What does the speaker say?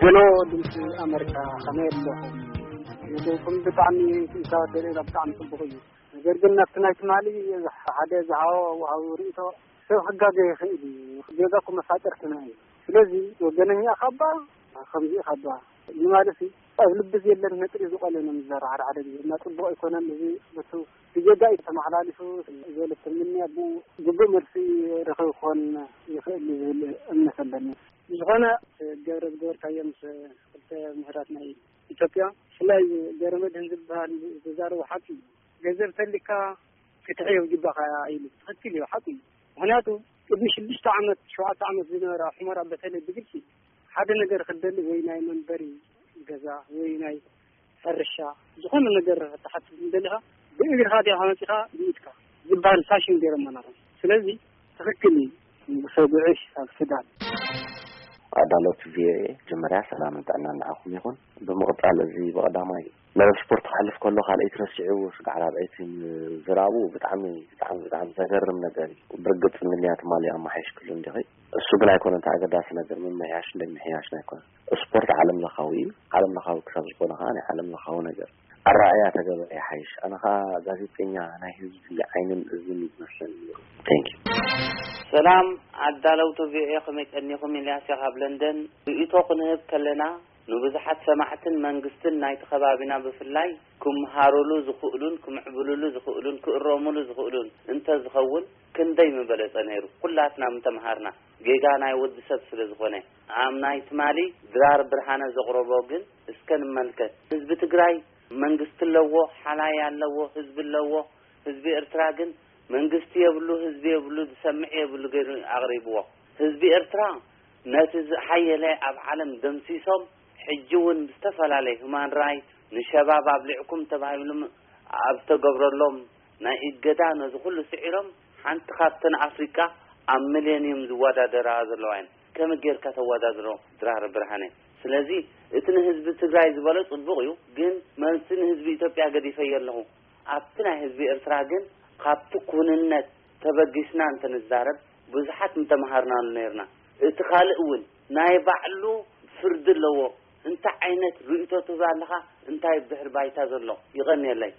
ሄሎ፣ ድምፂ ኣመሪካ፣ ከመይ ኣለኹም? ንደይኩም ብጣዕሚ ክኢካ ደረጃ ብጣዕሚ ጽቡቕ እዩ። ነገር ግን ናብቲ ናይ ትማሊ ሓደ ዝሃቦ ወሃቢ ርእይቶ ሰብ ክጋገ ይኽእል እዩ። ጌጋ እኮ መፋጠርትና እዩ። ስለዚ ወገነኛ ካባ ከምዚ ካባ ንማለት እዩ። ኣብ ልቢ ዘለን ነጥሪ ዝቆለ ነው የሚዘራ ሓደ ሓደ ጊዜ እና ጽቡቕ ኣይኮነን። እዚ በቱ ብጌጋ እዩ ተመሓላሊፉ። ዘለ ትምንያ ብኡ ግቡእ መልሲ ረኸብ ክኾን ይኽእል እዩ ዝብል እምነት ኣለኒ። ዝኾነ ገረ ዝገበርካዮ ምስ ክልተ ምሁራት ናይ ኢትዮጵያ፣ ብፍላይ ገረመድህን ዝበሃል ዝዛረቡ ሓቂ እዩ። ገንዘብ ተሊካ ክትሕዮ ይግባኻ ኢሉ ትኽክል እዩ፣ ሓቂ እዩ። ምኽንያቱ ቅድሚ ሽዱሽተ ዓመት ሸውዓተ ዓመት ዝነበረ ሑመራ በተለይ ብግልፂ ሓደ ነገር ክትደሊ ወይ ናይ መንበሪ ገዛ ወይ ናይ ሕርሻ ዝኾነ ነገር ክትሓትት እንደሊኻ ብእግርኻ ዲኻ መፂኻ ብኢድካ ዝበሃል ፋሽን ገይሮም መናኸ። ስለዚ ትኽክል እዩ። ንጉሰ ጉዕሽ ኣብ ሱዳን። ኣዳለውቲ ቪኦኤ፣ መጀመርያ ሰላምን ጥዕናን ንዓኹም ይኹን። ብምቕጻል፣ እዚ ብቐዳማይ መደብ ስፖርት ክሓልፍ ከሎ ካልኣይቲ ረሲዕዎ ስጋዕ ራብዐይቲ ምዝራቡ ብጣዕሚ፣ ብጣዕሚ፣ ብጣዕሚ ዘገርም ነገር እዩ። ብርግጽ እንግሊዝ ትማሊ ኣመሓይሽክሉ እንዲኺ። እሱ ግን ኣይኮነን እቲ ኣገዳሲ ነገር፣ ምምሕያሽን ዘይምሕያሽን ኣይኮነን። ስፖርት ዓለም ለኻዊ እዩ። ዓለም ለኻዊ ክሳብ ዝኾነ ከኣ ናይ ዓለም ለኻዊ ነገር ኣረኣእያ ተገበረ ይሓይሽ። ኣነ ከኣ ጋዜጠኛ ናይ ህዝቢ ዓይንን እዝን እዩ ዝመስለኒ ነይሩ። Thank you። ሰላም ኣዳለውቲ ቪኦኤ፣ ከመይ ቀኒኹም? ኢልያስ እየ ካብ ለንደን። ርእይቶ ክንህብ ከለና ንብዙሓት ሰማዕትን መንግስትን ናይቲ ከባቢና ብፍላይ ክምሃሩሉ ዝኽእሉን ክምዕብሉሉ ዝኽእሉን ክእረሙሉ ዝኽእሉን እንተዝኸውን ክንደይ ምበለጸ ነይሩ። ኩላትና ምተምሃርና። ጌጋ ናይ ወዲ ሰብ ስለ ዝኾነ። ኣብ ናይ ትማሊ ድራር ብርሃነ ዘቕረቦ ግን እስከ ንመልከት። ህዝቢ ትግራይ መንግስቲ ኣለዎ፣ ሓላይ ኣለዎ፣ ህዝቢ ኣለዎ። ህዝቢ ኤርትራ ግን መንግስቲ የብሉ፣ ህዝቢ የብሉ፣ ዝሰምዕ የብሉ ገይሩ ኣቕሪብዎ። ህዝቢ ኤርትራ ነቲ ዝሓየለ ኣብ ዓለም ደምሲሶም፣ ሕጂ እውን ብዝተፈላለየ ሁማን ራይት ንሸባብ ኣብሊዕኩም ተባሂሎም ኣብ ዝተገብረሎም ናይ እገዳ ነዚ ኩሉ ስዒሮም ሓንቲ ካብተን ኣፍሪቃ ኣብ ሚሌኒየም ዝወዳደራ ዘለዋ እየን። ከመይ ጌርካ ተወዳድሮ ድራር ብርሃነ? ስለዚ እቲ ንህዝቢ ትግራይ ዝበሎ ጽቡቕ እዩ፣ ግን መልሲ ንህዝቢ ኢትዮጵያ ገዲፈዮ ኣለኹ። ኣብቲ ናይ ህዝቢ ኤርትራ ግን ካብቲ ኩንነት ተበጊስና እንተንዛረብ ብዙሓት ምተምሃርናሉ ነይርና። እቲ ካልእ እውን ናይ ባዕሉ ፍርዲ ኣለዎ። እንታይ ዓይነት ርእይቶ ትህብ ኣለኻ? እንታይ ድሕሪ ባይታ ዘሎ? ይቐንየለይ።